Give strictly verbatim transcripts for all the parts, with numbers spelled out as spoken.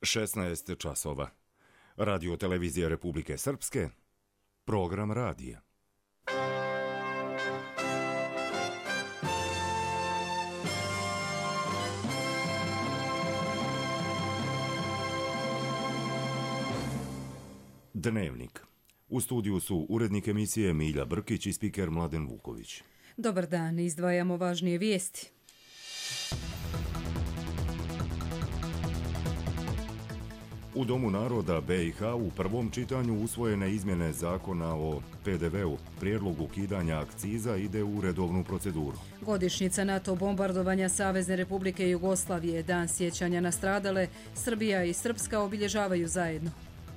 šesnaest časova. Radio televizija Republike Srpske, program radija. Dnevnik. U studiju su urednik emisije Milja Brkić i spiker Mladen Vuković. Dobar dan, izdvajamo važnije vijesti. U Domu naroda B i H u prvom čitanju usvojene izmjene zakona o P D V-u. Prijedlog ukidanja akciza ide u redovnu proceduru. Godišnjica NATO bombardovanja Savezne Republike Jugoslavije, dan sjećanja na stradale, Srbija i Srpska obilježavaju zajedno.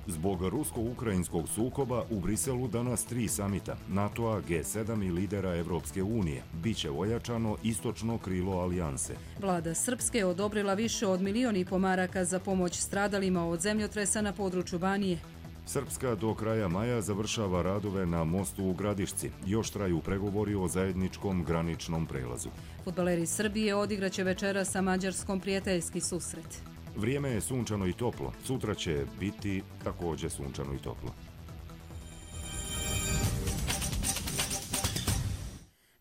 Zbog rusko-ukrajinskog sukoba u Briselu danas tri samita NATO-a, G sedam i lidera Evropske unije. Biće ojačano istočno krilo alijanse. Vlada Srpske odobrila više od milion i po maraka za pomoć stradalima od zemljotresa na području Banije. Srpska do kraja maja završava radove na mostu u Gradišci. Još traju pregovori o zajedničkom graničnom prelazu. Fudbaleri Srbije odigraće večera sa Mađarskom prijateljski susret. Vrijeme je sunčano i toplo. Sutra će biti također sunčano i toplo.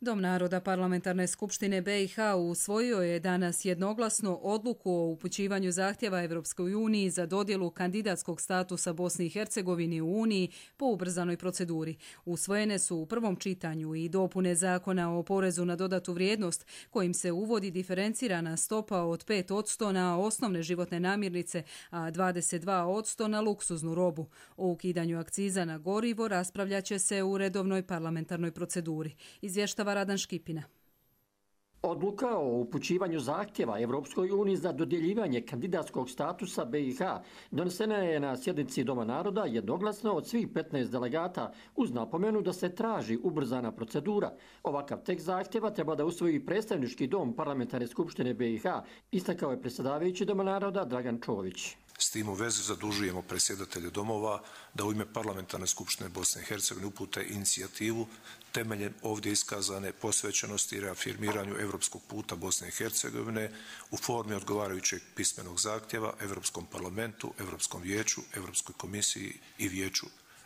Dom naroda Parlamentarne skupštine B i H usvojio je danas jednoglasno odluku o upućivanju zahtjeva Evropskoj uniji za dodjelu kandidatskog statusa Bosni i Hercegovini u Uniji po ubrzanoj proceduri. Usvojene su u prvom čitanju i dopune zakona o porezu na dodatu vrijednost, kojim se uvodi diferencirana stopa od pet posto na osnovne životne namirnice, a dvadeset dva posto na luksuznu robu. O ukidanju akciza na gorivo raspravljaće se u redovnoj parlamentarnoj proceduri. Izvještava Radan Škipina. Odluka o upućivanju zahtjeva Evropskoj uniji za dodjeljivanje kandidatskog statusa B i H donesena je na sjednici Doma naroda jednoglasno od svih petnaest delegata uz napomenu da se traži ubrzana procedura. Ovakav tekst zahtjeva treba da usvoji predstavnički dom Parlamentarne skupštine B i H, istakao je predsjedavajući Doma naroda Dragan Čović. S tim u vezi zadužujemo predsjedatelje domova da u ime Parlamentarne skupštine Bosne i Hercegovine upute inicijativu temeljem ovdje iskazane posvećenosti i reafirmiranju evropskog puta Bosne i Hercegovine u formi odgovarajućeg pismenog zahtjeva Evropskom parlamentu, Evropskom vijeću, Evropskoj komisiji i Vijeću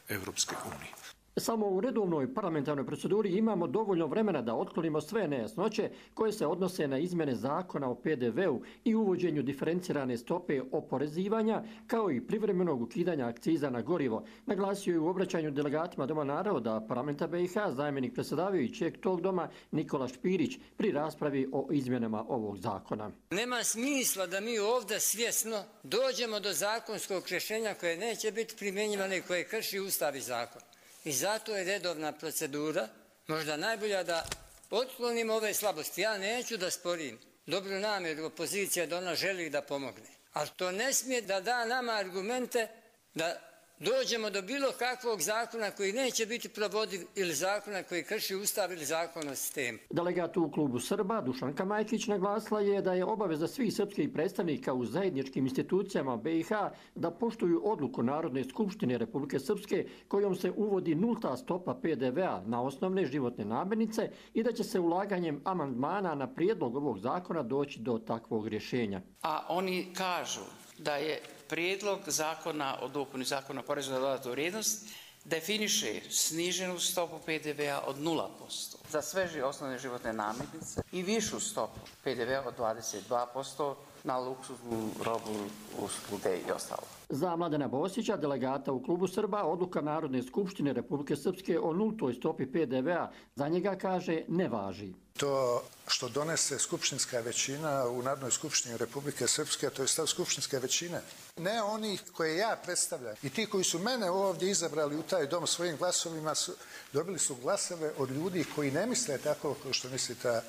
Evropske unije. Samo u redovnoj parlamentarnoj proceduri imamo dovoljno vremena da otklonimo sve nejasnoće koje se odnose na izmjene zakona o P D V-u i uvođenju diferencirane stope oporezivanja, kao i privremenog ukidanja akciza na gorivo, naglasio je u obraćanju delegatima Doma naroda Parlamenta B i H zamjenik predsjedavajućeg tog doma Nikola Špirić pri raspravi o izmjenama ovog zakona. Nema smisla da mi ovdje svjesno dođemo do zakonskog rješenja koje neće biti primjenjivane i koje krši Ustav i zakon. I zato je redovna procedura možda najbolja da otklonimo ove slabosti. Ja neću da sporim dobru namjeru opozicije da ona želi da pomogne. Ali to ne smije da da nama argumente da dođemo do bilo kakvog zakona koji neće biti provodiv ili zakona koji krši Ustav ili zakon o sistemu. Delegat u klubu Srba Dušanka Majkić naglasila je da je obaveza svih srpskih predstavnika u zajedničkim institucijama B i H da poštuju odluku Narodne skupštine Republike Srpske kojom se uvodi nulta stopa P D V-a na osnovne životne namirnice i da će se ulaganjem amandmana na prijedlog ovog zakona doći do takvog rješenja. A oni kažu da je prijedlog zakona o dopuni zakona o porezu na dodatu vrijednost definiše sniženu stopu P D V-a od nula posto za sve osnovne životne namirnice i višu stopu P D V-a od dvadeset dva posto na luksuznu robu, usluge i ostalo. Za Mladena Bosića, delegata u klubu Srba, odluka Narodne skupštine Republike Srpske o nultoj stopi P D V-a za njega, kaže, ne važi. To što donese skupštinska većina u Narodnoj skupštini Republike Srpske, to je stav skupštinske većine. Ne oni koje ja predstavljam i ti koji su mene ovdje izabrali u taj dom svojim glasovima, su, dobili su glasove od ljudi koji ne misle tako kao što misli ta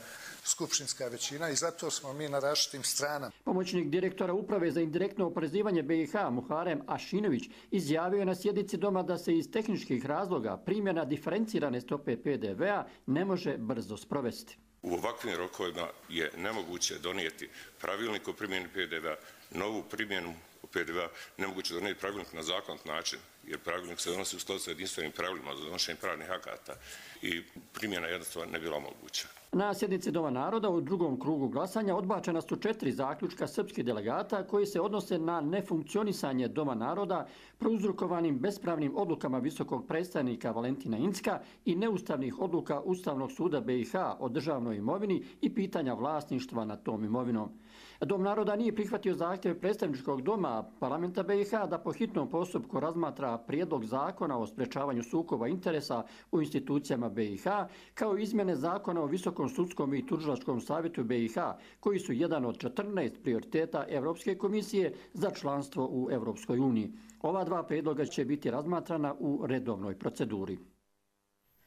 skupštinska većina i zato smo mi na različitim stranama. Pomoćnik direktora Uprave za indirektno oporezivanje B i H Muharem Ašinović izjavio je na sjednici doma da se iz tehničkih razloga primjena diferencirane stope P D V-a ne može brzo sprovesti. U ovakvim rokovima je nemoguće donijeti pravilnik o primjeni P D V-a, novu primjenu P D V-a, nemoguće donijeti pravilnik na zakonit način, jer pravilnik se donosi u skladu sa jedinstvenim pravilima za donošenje pravnih akata i primjena jednostavno ne bila moguća. Na sjednici Doma naroda u drugom krugu glasanja odbačena su četiri zaključka srpskih delegata koji se odnose na nefunkcionisanje Doma naroda prouzrokovanim bespravnim odlukama visokog predstavnika Valentina Incka i neustavnih odluka Ustavnog suda B i H o državnoj imovini i pitanja vlasništva nad tom imovinom. Dom naroda nije prihvatio zahtjeve predstavničkog doma parlamenta B i H da po hitnom postupku razmatra prijedlog zakona o sprečavanju sukoba interesa u institucijama B i H, kao i izmjene zakona o Visokom sudskom i tužilačkom savjetu B i H, koji su jedan od četrnaest prioriteta Europske komisije za članstvo u Europskoj uniji. Ova dva prijedloga će biti razmatrana u redovnoj proceduri.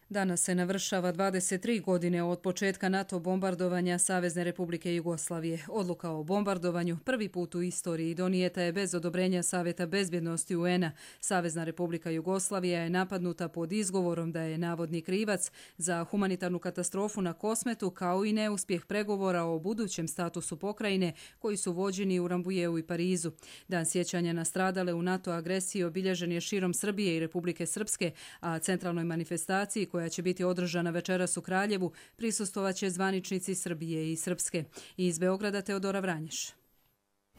Danas se navršava dvadeset tri godine od početka NATO bombardovanja Savezne Republike Jugoslavije. Odluka o bombardovanju prvi put u istoriji donijeta je bez odobrenja Savjeta bezbjednosti U N-a. Savezna Republika Jugoslavija je napadnuta pod izgovorom da je navodni krivac za humanitarnu katastrofu na Kosmetu, kao i neuspjeh pregovora o budućem statusu pokrajine koji su vođeni u Rambujeu i Parizu. Dan sjećanja na stradale u NATO agresiji obilježen je širom Srbije i Republike Srpske, a centralnoj manifestaciji koja će biti održana večeras u Kraljevu prisustvovaće zvaničnici Srbije i Srpske. Iz Beograda Teodora Vranješ.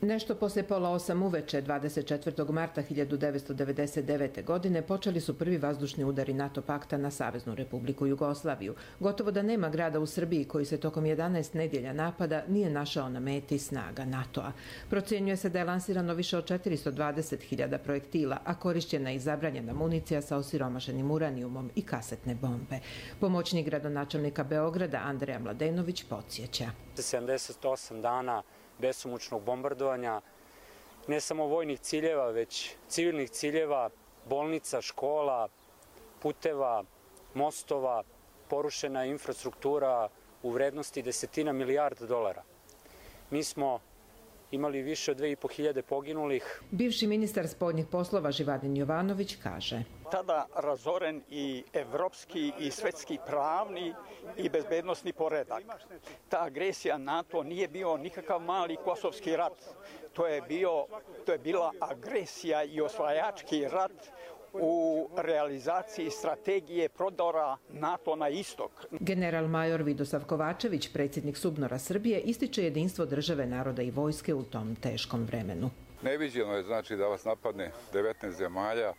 Nešto poslije pola osam uveče dvadeset četvrtog marta hiljadu devetsto devedeset devete. godine počeli su prvi vazdušni udari NATO pakta na Saveznu Republiku Jugoslaviju. Gotovo da nema grada u Srbiji koji se tokom jedanaest nedjelja napada nije našao na meti snaga NATO-a. Procjenjuje se da je lansirano više od četiristo dvadeset hiljada projektila, a korišćena i zabranjena municija sa osiromašenim uranijumom i kasetne bombe. Pomoćnik gradonačelnika Beograda Andreja Mladenović podsjeća. sedamdeset osam dana besomučnog bombardovanja, ne samo vojnih ciljeva, već civilnih ciljeva, bolnica, škola, puteva, mostova, porušena infrastruktura u vrednosti desetina milijarda dolara. Mi smo imali više od dve i po hiljade poginulih. Bivši ministar spoljnih poslova Živadin Jovanović kaže: Tada razoren i evropski i svetski pravni i bezbednosni poredak. Ta agresija NATO nije bio nikakav mali kosovski rat. To je, bio, to je bila agresija i osvajački rat u realizaciji strategije prodora NATO na istok. General major Vidosav Kovačević, predsjednik SUBNOR-a Srbije, ističe jedinstvo države, naroda i vojske u tom teškom vremenu. Neviđeno je znači da vas napadne devetnaest zemalja.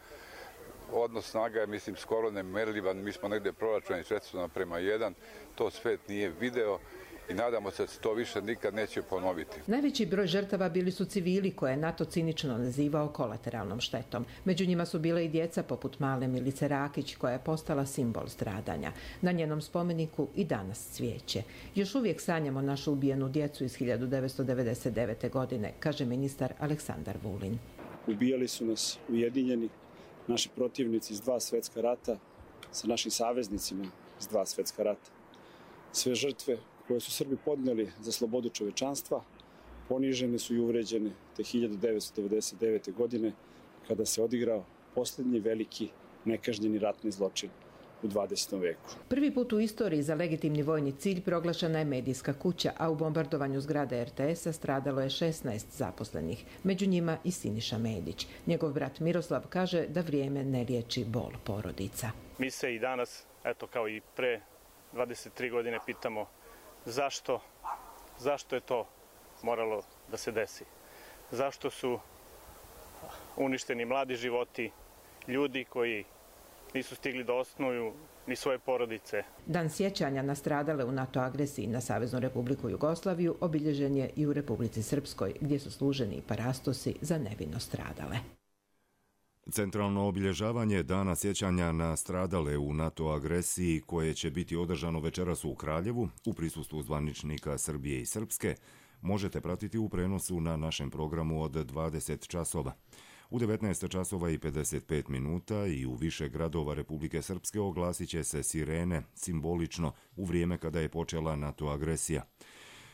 Odnos snaga je, mislim, skoro nemerljivan. Mi smo negdje proračunali četiristo naprema jedan. To svet nije video i nadamo se da se to više nikad neće ponoviti. Najveći broj žrtava bili su civili koje je NATO cinično nazivao kolateralnom štetom. Među njima su bile i djeca poput male Milice Rakić, koja je postala simbol stradanja. Na njenom spomeniku i danas cvijeće. Još uvijek sanjamo našu ubijenu djecu iz hiljadu devetsto devedeset devete. godine, kaže ministar Aleksandar Vulin. Ubijali su nas ujedinjeni naši protivnici iz dva svjetska rata sa našim saveznicima iz dva svjetska rata. Sve žrtve koje su Srbi podnijeli za slobodu čovečanstva ponižene su i uvređene te hiljadu devetsto devedeset devete. godine kada se odigrao posljednji veliki nekažnjeni ratni zločin u dvadesetom veku. Prvi put u istoriji za legitimni vojni cilj proglašena je medijska kuća, a u bombardovanju zgrade er te esa stradalo je šesnaest zaposlenih, među njima i Siniša Medić. Njegov brat Miroslav kaže da vrijeme ne liječi bol porodica. Mi se i danas, eto kao i pre dvadeset tri godine, pitamo zašto, zašto je to moralo da se desi. Zašto su uništeni mladi životi, ljudi koji nisu stigli da osnuju ni svoje porodice. Dan sjećanja na stradale u NATO agresiji na Saveznu Republiku Jugoslaviju obilježen je i u Republici Srpskoj, gdje su služeni i parastosi za nevino stradale. Centralno obilježavanje Dana sjećanja na stradale u NATO agresiji, koje će biti održano večeras u Kraljevu u prisustvu zvaničnika Srbije i Srpske, možete pratiti u prenosu na našem programu od dvadeset časova. U devetnaest časova i pedeset pet minuta i u više gradova Republike Srpske oglasit će se sirene, simbolično u vrijeme kada je počela NATO agresija.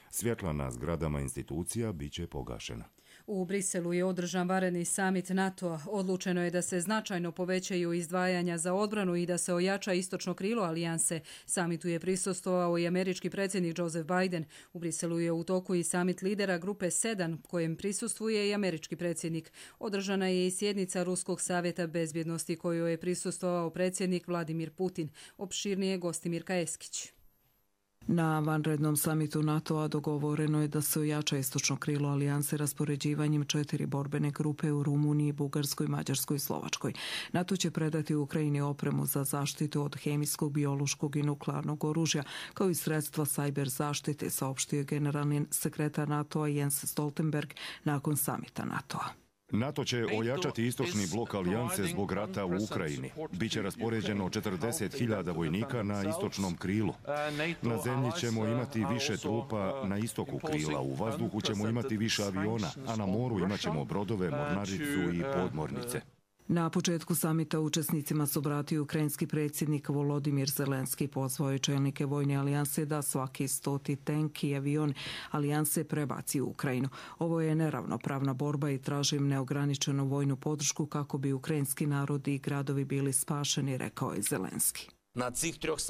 Svjetla na zgradama institucija bit će pogašena. U Briselu je održan vanredni samit NATO-a. Odlučeno je da se značajno povećaju izdvajanja za odbranu i da se ojača istočno krilo alijanse. Samitu je prisustvovao i američki predsjednik Joseph Biden. U Briselu je u toku i samit lidera grupe sedam, kojem prisustvuje i američki predsjednik. Održana je i sjednica Ruskog savjeta bezbjednosti, kojoj je prisustvovao predsjednik Vladimir Putin. Opširnije Gostimir Kajeskić. Na vanrednom samitu NATO-a dogovoreno je da se ojača istočno krilo alijanse raspoređivanjem četiri borbene grupe u Rumuniji, Bugarskoj, Mađarskoj i Slovačkoj. NATO će predati Ukrajini opremu za zaštitu od hemijskog, biološkog i nuklearnog oružja, kao i sredstva sajber zaštite, saopštio je generalni sekretar NATO-a Jens Stoltenberg nakon samita NATO-a. NATO će ojačati istočni blok alijanse zbog rata u Ukrajini. Biće raspoređeno četrdeset hiljada vojnika na istočnom krilu. Na zemlji ćemo imati više trupa na istoku krila, u vazduhu ćemo imati više aviona, a na moru imat ćemo brodove, mornaricu i podmornice. Na početku samita učesnicima se obratio ukrajinski predsjednik Volodimir Zelenski, pozvao je čelnike vojne alijanse da svaki stoti tank i avion alijanse prebaci u Ukrajinu. Ovo je neravnopravna borba i tražim neograničenu vojnu podršku kako bi ukrajinski narod i gradovi bili spašeni, rekao je Zelenski.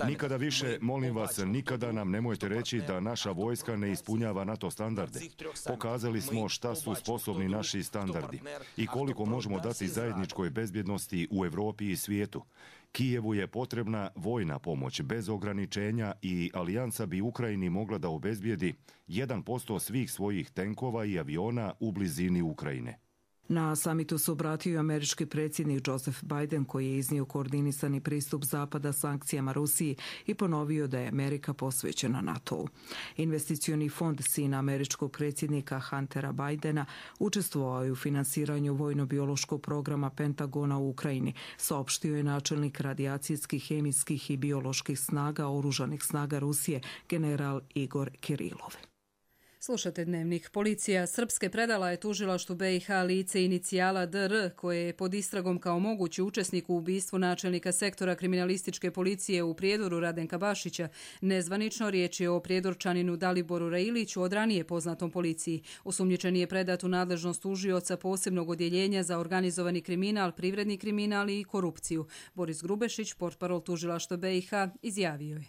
Nikada više, molim vas, nikada nam nemojte reći da naša vojska ne ispunjava NATO standarde. Pokazali smo šta su sposobni naši standardi i koliko možemo dati zajedničkoj bezbjednosti u Europi i svijetu. Kijevu je potrebna vojna pomoć bez ograničenja i alijansa bi Ukrajini mogla da obezbijedi jedan posto svih svojih tenkova i aviona u blizini Ukrajine. Na samitu se obratio i američki predsjednik Joseph Biden, koji je iznio koordinisani pristup Zapada sankcijama Rusiji i ponovio da je Amerika posvećena NATO-u. Investicioni fond sina američkog predsjednika Huntera Bidena učestvovao je u finansiranju vojno-biološkog programa Pentagona u Ukrajini, saopštio je načelnik radijacijskih, hemijskih i bioloških snaga oružanih snaga Rusije, general Igor Kirilov. Slušate Dnevnik. Policija Srpske predala je tužilaštvu B i H lice inicijala D R, koje je pod istragom kao mogući učesnik u ubistvu načelnika sektora kriminalističke policije u Prijedoru Radenka Bašića. Nezvanično riječ je o prijedorčaninu Daliboru Railiću, od ranije poznatom policiji. Osumnjičeni je predat u nadležnost tužioca posebnog odjeljenja za organizovani kriminal, privredni kriminal i korupciju. Boris Grubešić, portparol tužilaštva B i H, izjavio je: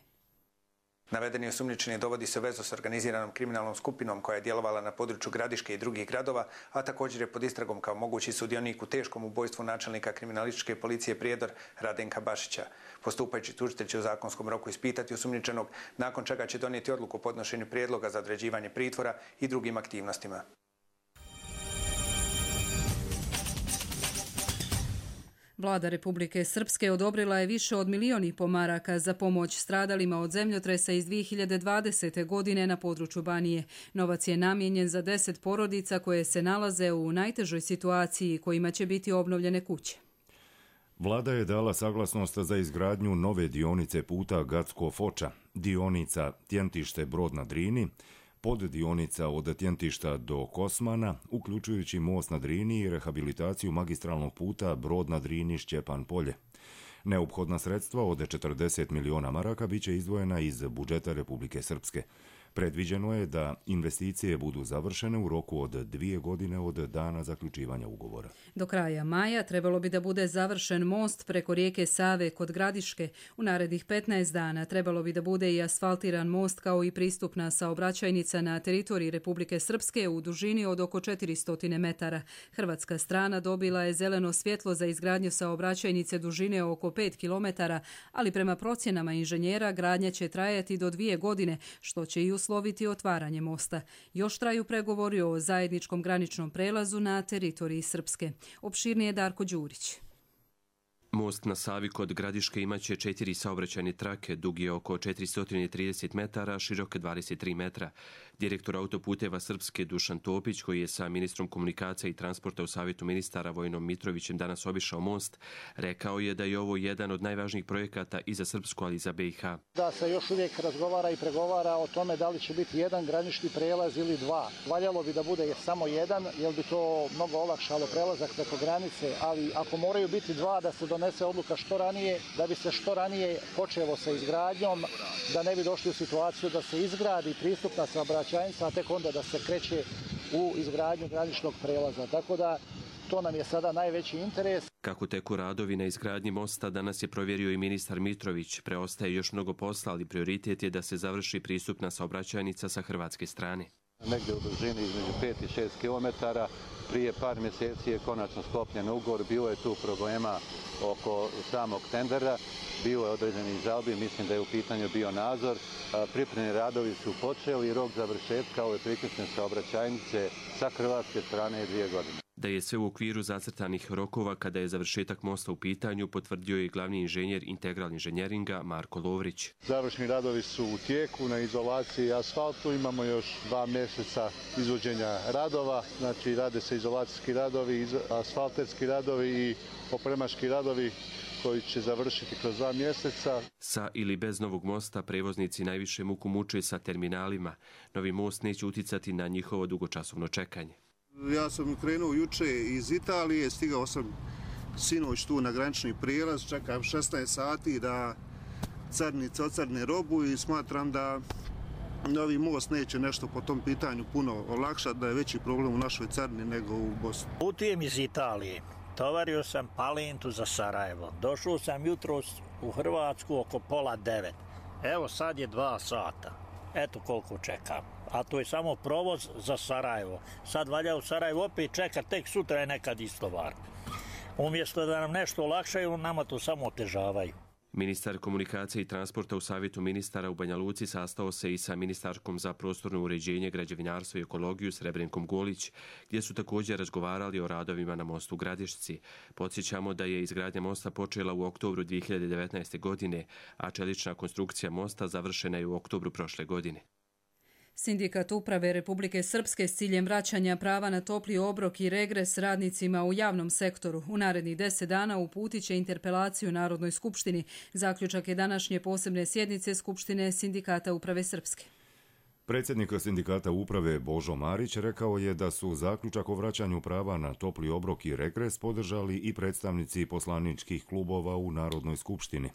Navedeni osumnjičeni dovodi se u vezu s organiziranom kriminalnom skupinom koja je djelovala na području Gradiške i drugih gradova, a također je pod istragom kao mogući sudionik u teškom ubojstvu načelnika kriminalističke policije Prijedor Radenka Bašića. Postupajući tužitelj će u zakonskom roku ispitati osumnjičenog, nakon čega će donijeti odluku o podnošenju prijedloga za određivanje pritvora i drugim aktivnostima. Vlada Republike Srpske odobrila je više od milion i po maraka za pomoć stradalima od zemljotresa iz dvije hiljade dvadesete. godine na području Banije. Novac je namijenjen za deset porodica koje se nalaze u najtežoj situaciji, kojima će biti obnovljene kuće. Vlada je dala saglasnost za izgradnju nove dionice puta Gacko-Foča, dionica Tjentište-Brod na Drini, poddionica od Tjentišta do Kosmana, uključujući most na Drini i rehabilitaciju magistralnog puta Brod na Drini Šćepan Polje. Neophodna sredstva od četrdeset miliona maraka biće izdvojena iz budžeta Republike Srpske. Predviđeno je da investicije budu završene u roku od dvije godine od dana zaključivanja ugovora. Do kraja maja trebalo bi da bude završen most preko rijeke Save kod Gradiške. U narednih petnaest dana trebalo bi da bude i asfaltiran most kao i pristupna saobraćajnica na teritoriji Republike Srpske u dužini od oko četiristo metara. Hrvatska strana dobila je zeleno svjetlo za izgradnju saobraćajnice dužine oko pet kilometara, ali prema procjenama inženjera gradnja će trajati do dvije godine, što će i usloviti otvaranje mosta. Još traju pregovori o zajedničkom graničnom prelazu na teritoriji Srpske. Opširnije Darko Đurić. Most na Savi kod Gradiške imaće četiri saobraćajne trake, dug je oko četiristo trideset metara, širok dvadeset tri metra. Direktor autoputeva Srpske Dušan Topić, koji je sa ministrom komunikacija i transporta u Savjetu ministara Vojnom Mitrovićem danas obišao most, rekao je da je ovo jedan od najvažnijih projekata i za Srpsku, ali i za B i H. Da se još uvijek razgovara i pregovara o tome da li će biti jedan granični prelaz ili dva. Valjalo bi da bude samo jedan, jer bi to mnogo olakšalo prelazak preko granice, ali ako moraju biti dva, da se donese odluka što ranije, da bi se što ranije počelo sa izgradnjom, da ne bi došli u situaciju da se izgradi pristupna saobraćajnica, a tek onda da se kreće u izgradnju graničnog prelaza. Tako da to nam je sada najveći interes. Kako teku radovi na izgradnji mosta, danas je provjerio i ministar Mitrović. Preostaje još mnogo posla, ali prioritet je da se završi pristupna saobraćajnica sa hrvatske strane. Negdje u dužini između pet i šest kilometara. Prije par mjeseci je konačno sklopljen ugovor, bilo je tu problema oko samog tendera, bilo je određenih žalbi, mislim da je u pitanju bio nadzor. Pripremni radovi su počeli i rok završetka ove priključne saobraćajnice sa hrvatske strane je dvije godine. Da je sve u okviru zacrtanih rokova kada je završetak mosta u pitanju, potvrdio je glavni inženjer integralni inženjeringa Marko Lovrić. Završni radovi su u tijeku na izolaciji asfaltu, imamo još dva mjeseca izvođenja radova, znači rade se izolacijski radovi, asfalterski radovi i opremaški radovi koji će završiti kroz dva mjeseca. Sa ili bez novog mosta prevoznici najviše muku muče sa terminalima. Novi most neće uticati na njihovo dugočasovno čekanje. Ja sam krenuo juče iz Italije, stigao sam sinoć tu na granični prijelaz, čekam šesnaest sati da carinici ocarne robu i smatram da novi most neće nešto po tom pitanju puno olakšati, da je veći problem u našoj carini nego u Bosni. Putujem iz Italije, tovario sam palentu za Sarajevo, došao sam jutros u Hrvatsku oko pola devet, evo sad je dva sata, eto koliko čekam. A to je samo provoz za Sarajevo. Sad valja u Sarajevo opet čeka, tek sutra je nekad istovar. Umjesto da nam nešto olakšaju, nama to samo otežavaju. Ministar komunikacije i transporta u Savjetu ministara u Banja Luci sastao se i sa ministarkom za prostorno uređenje, građevinarstvo i ekologiju Srebrenkom Golić, gdje su također razgovarali o radovima na mostu u Gradišci. Podsjećamo da je izgradnja mosta počela u oktobru dvije hiljade devetnaeste. godine, a čelična konstrukcija mosta završena je u oktobru prošle godine. Sindikat uprave Republike Srpske s ciljem vraćanja prava na topli obrok i regres radnicima u javnom sektoru u narednih deset dana uputit će interpelaciju Narodnoj skupštini. Zaključak je današnje posebne sjednice Skupštine Sindikata uprave Srpske. Predsjednik sindikata uprave Božo Marić rekao je da su zaključak o vraćanju prava na topli obrok i regres podržali i predstavnici poslaničkih klubova u Narodnoj skupštini.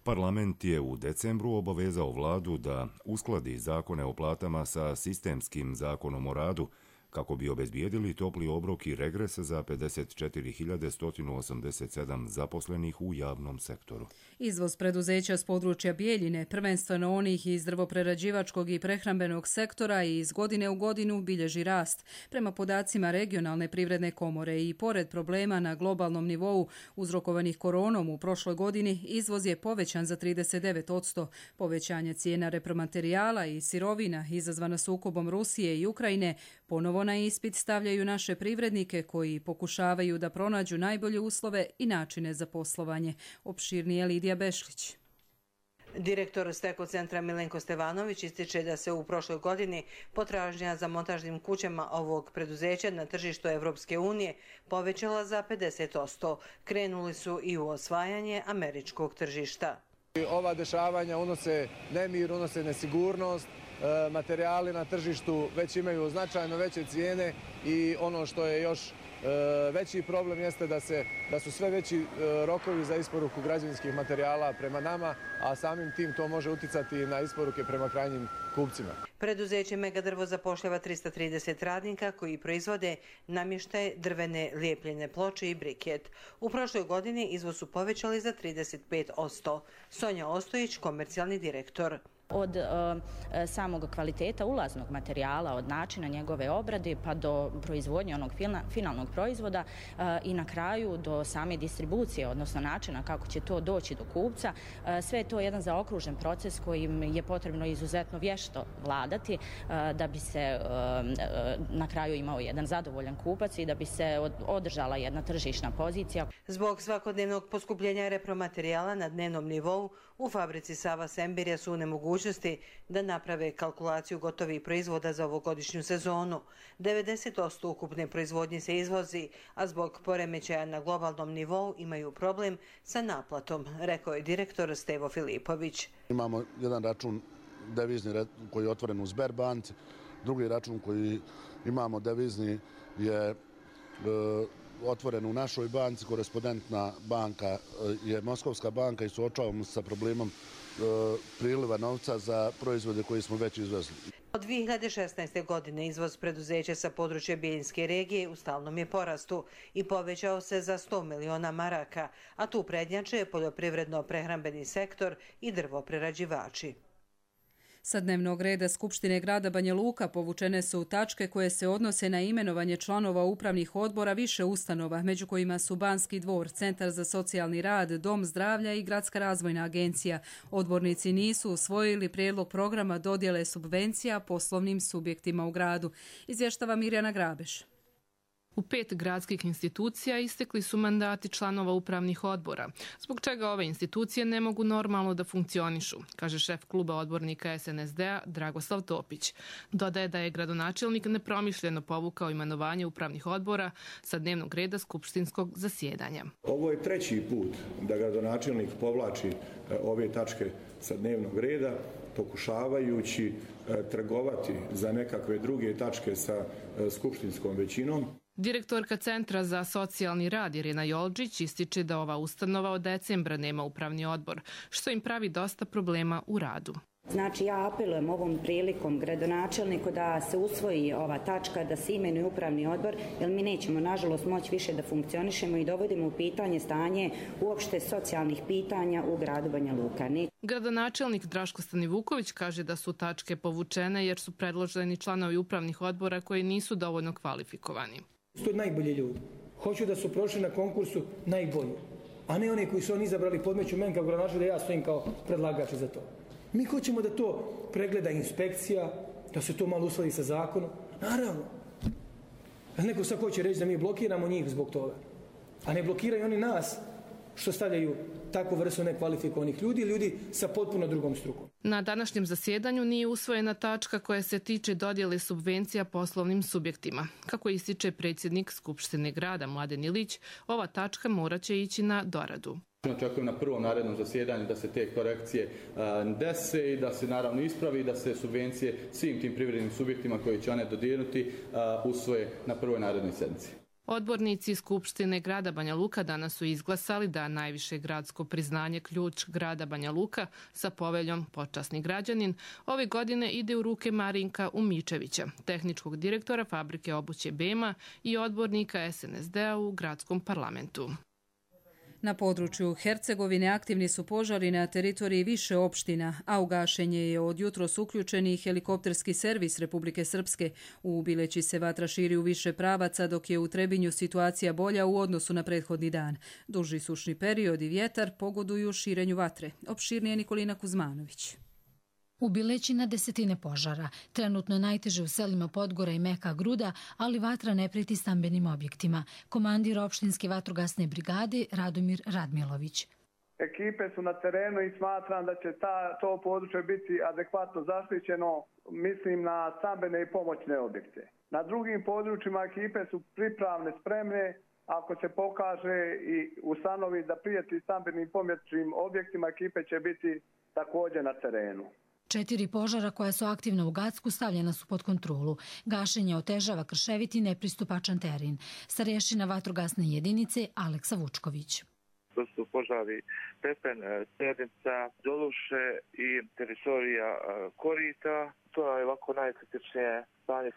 Parlament je u decembru obavezao vladu da uskladi zakone o platama sa sistemskim zakonom o radu, kako bi obezbijedili topli obrok i regres za pedeset četiri hiljade sto osamdeset sedam zaposlenih u javnom sektoru. Izvoz preduzeća s područja Bijeljine, prvenstveno onih iz drvoprerađivačkog i prehrambenog sektora, i iz godine u godinu bilježi rast. Prema podacima regionalne privredne komore i pored problema na globalnom nivou uzrokovanih koronom u prošloj godini, izvoz je povećan za trideset devet posto. Povećanje cijena repromaterijala i sirovina izazvana sukobom Rusije i Ukrajine ponovo na ispit stavljaju naše privrednike koji pokušavaju da pronađu najbolje uslove i načine za poslovanje. Opširnije Lidija Bešlić. Direktor Steko centra Milenko Stevanović ističe da se u prošloj godini potražnja za montažnim kućama ovog preduzeća na tržištu Evropske unije povećala za pedeset posto. Krenuli su i u osvajanje američkog tržišta. Ova dešavanja unose nemir, unose nesigurnost, materijali na tržištu već imaju značajno veće cijene i ono što je još veći problem jeste da, se, da su sve veći rokovi za isporuku građevinskih materijala prema nama, a samim tim to može uticati na isporuke prema krajnjim kupcima. Preduzeće Megadrvo zapošljava trista trideset radnika koji proizvode namještaj, drvene lijepljene ploče i briket. U prošloj godini izvoz su povećali za trideset pet posto. Sonja Ostojić, komercijalni direktor. Od e, samog kvaliteta ulaznog materijala, od načina njegove obrade pa do proizvodnje onog fina, finalnog proizvoda e, i na kraju do same distribucije, odnosno načina kako će to doći do kupca. E, sve je to jedan zaokružen proces kojim je potrebno izuzetno vješto vladati e, da bi se e, na kraju imao jedan zadovoljan kupac i da bi se od, održala jedna tržišna pozicija. Zbog svakodnevnog poskupljenja repromaterijala na dnevnom nivou, u fabrici Sava Sembirja su u nemogućnosti da naprave kalkulaciju gotovih proizvoda za ovogodišnju sezonu. devedeset posto ukupne proizvodnje se izvozi, a zbog poremećaja na globalnom nivou imaju problem sa naplatom, rekao je direktor Stevo Filipović. Imamo jedan račun devizni koji je otvoren u Sberbanci, drugi račun koji imamo devizni je e, otvoren u našoj banci, korespondentna banka je Moskovska banka i suočavamo se sa problemom e, priliva novca za proizvode koje smo već izvezli. Od dvije hiljade šesnaeste. godine izvoz preduzeća sa područja Bijeljinske regije u stalnom je porastu i povećao se za sto miliona maraka, a tu prednjače poljoprivredno-prehrambeni sektor i drvoprerađivači. Sa dnevnog reda Skupštine grada Banja Luka povučene su tačke koje se odnose na imenovanje članova upravnih odbora više ustanova, među kojima su Banski dvor, Centar za socijalni rad, Dom zdravlja i Gradska razvojna agencija. Odbornici nisu usvojili prijedlog programa dodjele subvencija poslovnim subjektima u gradu. Izvještava Mirjana Grabeš. U pet gradskih institucija istekli su mandati članova upravnih odbora, zbog čega ove institucije ne mogu normalno da funkcionišu, kaže šef kluba odbornika S N S D-a Dragoslav Topić. Dodaje da je gradonačelnik nepromišljeno povukao imenovanje upravnih odbora sa dnevnog reda skupštinskog zasjedanja. Ovo je treći put da gradonačelnik povlači ove tačke sa dnevnog reda, pokušavajući trgovati za nekakve druge tačke sa skupštinskom većinom. Direktorka Centra za socijalni rad Irena Jolđić ističe da ova ustanova od decembra nema upravni odbor, što im pravi dosta problema u radu. Znači ja apelujem ovom prilikom gradonačelniku da se usvoji ova tačka, da se imenuje upravni odbor, jer mi nećemo nažalost moći više da funkcionišemo i dovodimo u pitanje stanje uopšte socijalnih pitanja u gradu Banja Luka. Ne... Gradonačelnik Draško Stanivuković kaže da su tačke povučene jer su predloženi članovi upravnih odbora koji nisu dovoljno kvalifikovani. To najbolji ljudi. Hoću da su prošli na konkursu najbolji, a ne oni koji su oni izabrali podmeću meni kao gradonačelnik da ja stojim kao predlagač za to. Mi hoćemo da to pregleda inspekcija, da se to malo uskladi sa zakonom. Naravno. Neko sad hoće reći da mi blokiramo njih zbog toga. A ne blokiraju oni nas što stavljaju takvu vrstu nekvalifikovanih ljudi, ljudi sa potpuno drugom strukom. Na današnjem zasjedanju nije usvojena tačka koja se tiče dodjele subvencija poslovnim subjektima. Kako ističe predsjednik Skupštine grada Mladen Ilić, ova tačka moraće ići na doradu. Očekujem na prvom narednom zasjedanju da se te korekcije dese i da se naravno ispravi, da se subvencije svim tim privrednim subjektima koji će one dodijeliti usvoje na prvoj narednoj sjednici. Odbornici Skupštine grada Banja Luka danas su izglasali da najviše gradsko priznanje Ključ grada Banja Luka sa poveljom Počasni građanin ove godine ide u ruke Marinka Umičevića, tehničkog direktora fabrike obuće Bema i odbornika S N S D-a u gradskom parlamentu. Na području Hercegovine aktivni su požari na teritoriji više opština, a u gašenje je od jutros uključen i helikopterski servis Republike Srpske. U Bileći se vatra širi u više pravaca, dok je u Trebinju situacija bolja u odnosu na prethodni dan. Duži sušni period i vjetar pogoduju širenju vatre. Opširnije Nikolina Kuzmanović. U Bileći na desetine požara. Trenutno najteže u selima Podgora i Meka Gruda, ali vatra ne preti stambenim objektima. Komandir opštinske vatrogasne brigade Radomir Radmilović. Ekipe su na terenu i smatram da će ta, to područje biti adekvatno zaštićeno, mislim na stambene i pomoćne objekte. Na drugim područjima ekipe su pripravne, spremne, ako se pokaže i ustanovi da prijeti stambenim pomoćnim objektima, ekipe će biti također na terenu. Četiri požara koja su aktivna u Gacku stavljena su pod kontrolu. Gašenje otežava krševit i nepristupačan teren. Starješina vatrogasne jedinice Aleksa Vučković. To su požari Pepen, Srednica, Doluše i teritorija Korita. To je ovako najkritičnije stanje.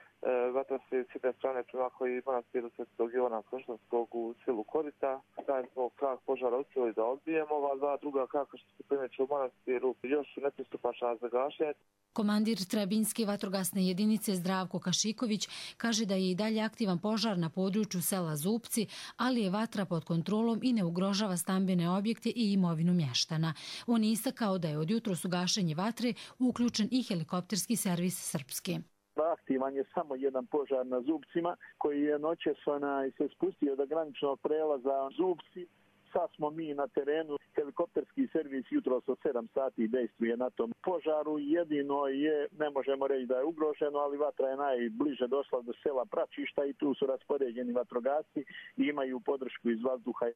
Vatra se s jedne strane prema koji manastiru Svetog Ivana Krštanskog u selu Korita. Taj smo krak požara uspjeli da odbijemo. Ova dva druga kraka što se primeću u manastiru još su nepristupačna za gašenje. Komandir Trebinske vatrogasne jedinice Zdravko Kašiković kaže da je i dalje aktivan požar na području sela Zupci, ali je vatra pod kontrolom i ne ugrožava stambene objekte i imovinu mještana. On je istakao da je od jutros u gašenje vatre uključen i helikopterski servis Srpske. Aktivan je samo jedan požar na Zupcima koji je noćas se spustio do graničnog prelaza Zupci. Sad smo mi na terenu, helikopterski servis jutros od sedam sati dejstvuje na tom požaru. Jedino je, ne možemo reći da je ugroženo, ali vatra je najbliže došla do sela Pračišta i tu su raspoređeni vatrogasci i imaju podršku iz vazduha.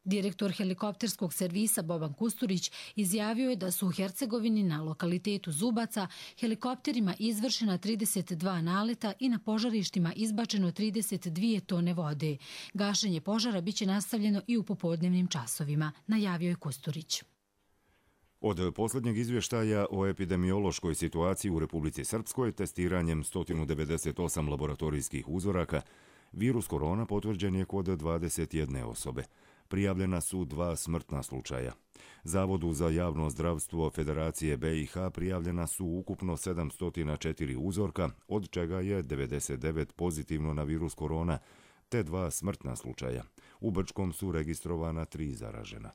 Direktor helikopterskog servisa Boban Kusturić izjavio je da su u Hercegovini na lokalitetu Zubaca helikopterima izvršena trideset dva naleta i na požarištima izbačeno trideset dvije tone vode. Gašenje požara biće nastavljeno i u popodnevnim časovima, najavio je Kusturić. Od posljednjeg izvještaja o epidemiološkoj situaciji u Republici Srpskoj testiranjem sto devedeset osam laboratorijskih uzoraka, virus korona potvrđen je kod dvadeset jedne osobe. Prijavljena su dva smrtna slučaja. Zavodu za javno zdravstvo Federacije B i H prijavljena su ukupno sedamsto četiri uzorka, od čega je devedeset devet pozitivno na virus korona, te dva smrtna slučaja. U Brčkom su registrovana tri zaražena.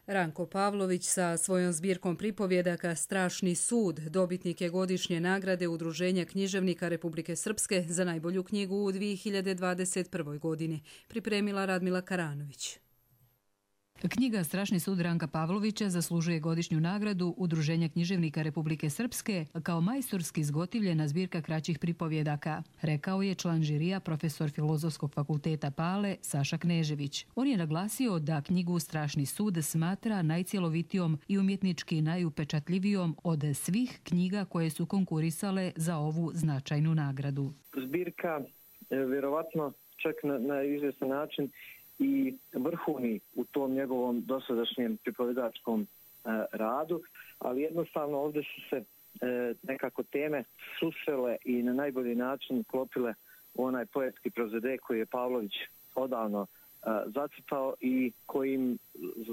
Ranko Pavlović sa svojom zbirkom pripovjedaka Strašni sud dobitnik je godišnje nagrade Udruženja književnika Republike Srpske za najbolju knjigu u dvije hiljade dvadeset prvoj. godini, pripremila Radmila Karanović. Knjiga Strašni sud Ranka Pavlovića zaslužuje godišnju nagradu Udruženja književnika Republike Srpske kao majstorski zgotivljena zbirka kraćih pripovjedaka, rekao je član žirija profesor Filozofskog fakulteta Pale Saša Knežević. On je naglasio da knjigu Strašni sud smatra najcjelovitijom i umjetnički najupečatljivijom od svih knjiga koje su konkurisale za ovu značajnu nagradu. Zbirka vjerovatno čak na, na izvjestan način i vrhovni u tom njegovom dosadašnjem pripovjedačkom e, radu, ali jednostavno ovdje su se e, nekako teme susrele i na najbolji način klopile u onaj poetski prozode koji je Pavlović odavno e, zacrtao i kojim,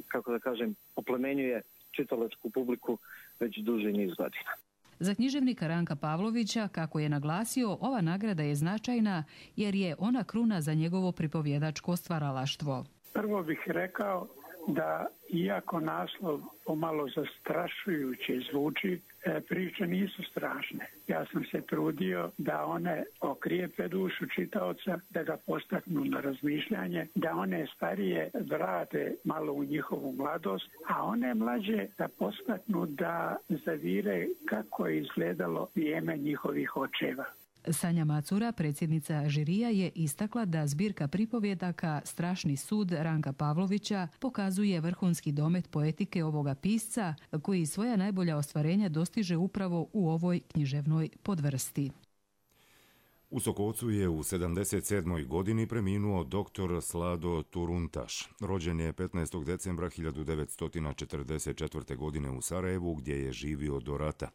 kako da kažem, oplemenjuje čitalačku publiku već duži niz godina. Za književnika Ranka Pavlovića, kako je naglasio, ova nagrada je značajna jer je ona kruna za njegovo pripovjedačko stvaralaštvo. Prvo bih rekao da iako naslov pomalo zastrašujuće zvuči, priče nisu strašne. Ja sam se trudio da one okrijepe dušu čitaoca, da ga postaknu na razmišljanje, da one starije vrate malo u njihovu mladost, a one mlađe da postaknu da zavire kako je izgledalo vrijeme njihovih očeva. Sanja Macura, predsjednica žirija, je istakla da zbirka pripovjedaka Strašni sud Ranka Pavlovića pokazuje vrhunski domet poetike ovoga pisca koji svoja najbolja ostvarenja dostiže upravo u ovoj književnoj podvrsti. U Sokocu je u sedamdeset sedmoj. godini preminuo doktor Slado Turuntaš. Rođen je petnaestog decembra hiljadu devetsto četrdeset četvrte. godine u Sarajevu, gdje je živio do rata.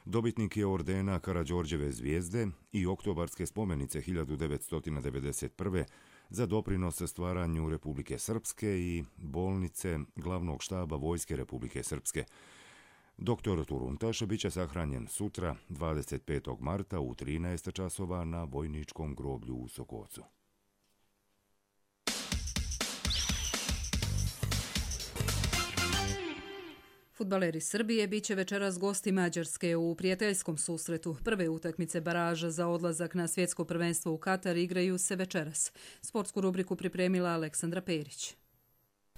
Dobitnik je ordena Karađorđeve zvijezde i oktobarske spomenice hiljadu devetsto devedeset prve. za doprinos stvaranju Republike Srpske i bolnice glavnog štaba Vojske Republike Srpske. Doktor Turuntaš bit će sahranjen sutra, dvadeset petog marta u trinaest časova na vojničkom groblju u Sokocu. Fudbaleri Srbije bit će večeras gosti Mađarske u prijateljskom susretu. Prve utakmice baraža za odlazak na svjetsko prvenstvo u Katar igraju se večeras. Sportsku rubriku pripremila Aleksandra Perić.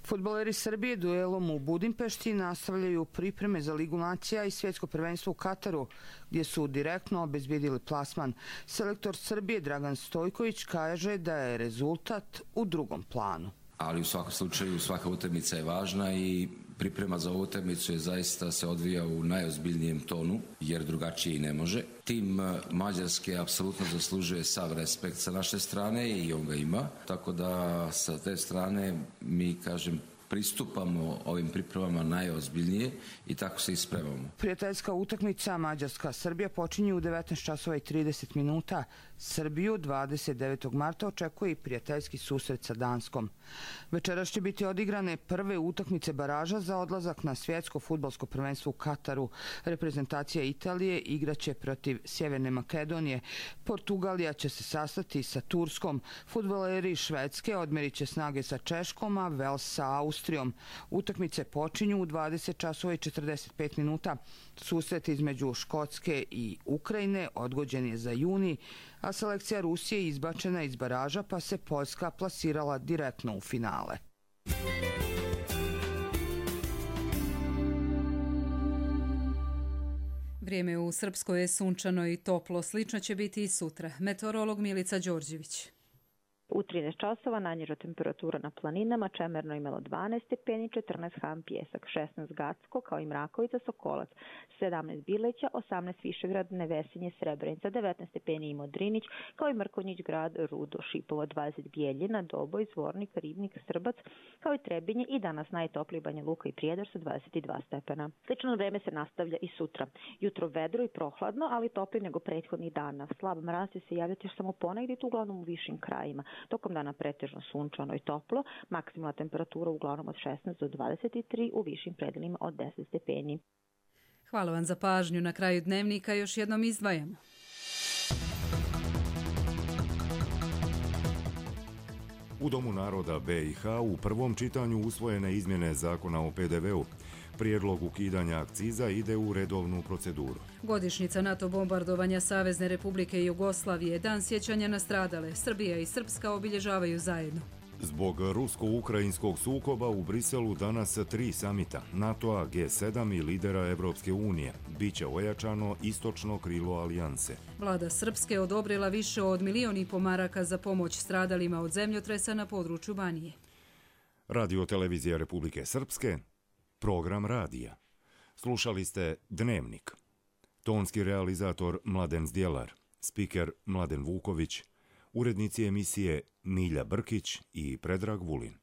Fudbaleri Srbije duelom u Budimpešti nastavljaju pripreme za Ligu nacija i svjetsko prvenstvo u Kataru, gdje su direktno obezbijedili plasman. Selektor Srbije Dragan Stojković kaže da je rezultat u drugom planu. Ali u svakom slučaju svaka utakmica je važna i priprema za ovu utakmicu je zaista se odvija u najozbiljnijem tonu, jer drugačije i ne može. Tim Mađarske apsolutno zaslužuje sav respekt sa naše strane i on ga ima, tako da sa te strane mi, kažem, pristupamo ovim pripremama najozbiljnije i tako se ispremamo. Prijateljska utakmica Mađarska-Srbija počinje u devetnaest časova i trideset minuta. Srbiju dvadeset devetog marta očekuje i prijateljski susret sa Danskom. Večeras će biti odigrane prve utakmice baraža za odlazak na svjetsko fudbalsko prvenstvo u Kataru. Reprezentacija Italije igraće protiv Sjeverne Makedonije. Portugalija će se sastati sa Turskom. Fudbaleri Švedske odmerit će snage sa Češkom, a Vels sa Austrijom. Utakmice počinju u dvadeset časova i četrdeset pet minuta. Susret između Škotske i Ukrajine odgođen je za juni, a selekcija Rusije izbačena iz baraža, pa se Poljska plasirala direktno u finale. Vrijeme u Srpskoj je sunčano i toplo, slično će biti i sutra. Meteorolog Milica Đorđević. U trinaest časova najniža temperatura na planinama, Čemerno imalo dvanaest stepeni, četrnaest Han Pjesak, šesnaest Gacko, kao i Mrakovica, Sokolac, sedamnaest Bileća, osamnaest Višegrad, Nevesinje, Srebrenica, devetnaest stepeni i Modrinić, kao i Mrkonjić Grad, Rudo, Šipovo, dvadeset Bijeljina, Doboj, Zvornik, Ribnik, Srbac, kao i Trebinje i danas najtopliji Banja Luka i Prijedor sa dvadeset dva stepena. Slično vreme se nastavlja i sutra. Jutro vedro i prohladno, ali toplije nego prethodnih dana. Slab mraz će se javljati samo ponegdje, uglavnom u višim krajima. Tokom dana pretežno sunčano i toplo, maksimalna temperatura uglavnom od šesnaest do dvadeset tri, u višim predelima od deset stepeni. Hvala vam za pažnju. Na kraju dnevnika još jednom izdvajamo. U Domu naroda B i H u prvom čitanju usvojene izmjene zakona o P D V-u. Prijedlog ukidanja akciza ide u redovnu proceduru. Godišnjica NATO bombardovanja Savezne Republike Jugoslavije, dan sjećanja na stradale, Srbija i Srpska obilježavaju zajedno. Zbog rusko-ukrajinskog sukoba u Briselu danas tri samita NATO-a, G sedam i lidera Evropske unije. Biće ojačano istočno krilo alijanse. Vlada Srpske odobrila više od milion i po maraka za pomoć stradalima od zemljotresa na području Banije. Radio televizija Republike Srpske, program radija. Slušali ste Dnevnik. Tonski realizator Mladen Zdjelar, spiker Mladen Vuković, urednici emisije Milja Brkić i Predrag Vulin.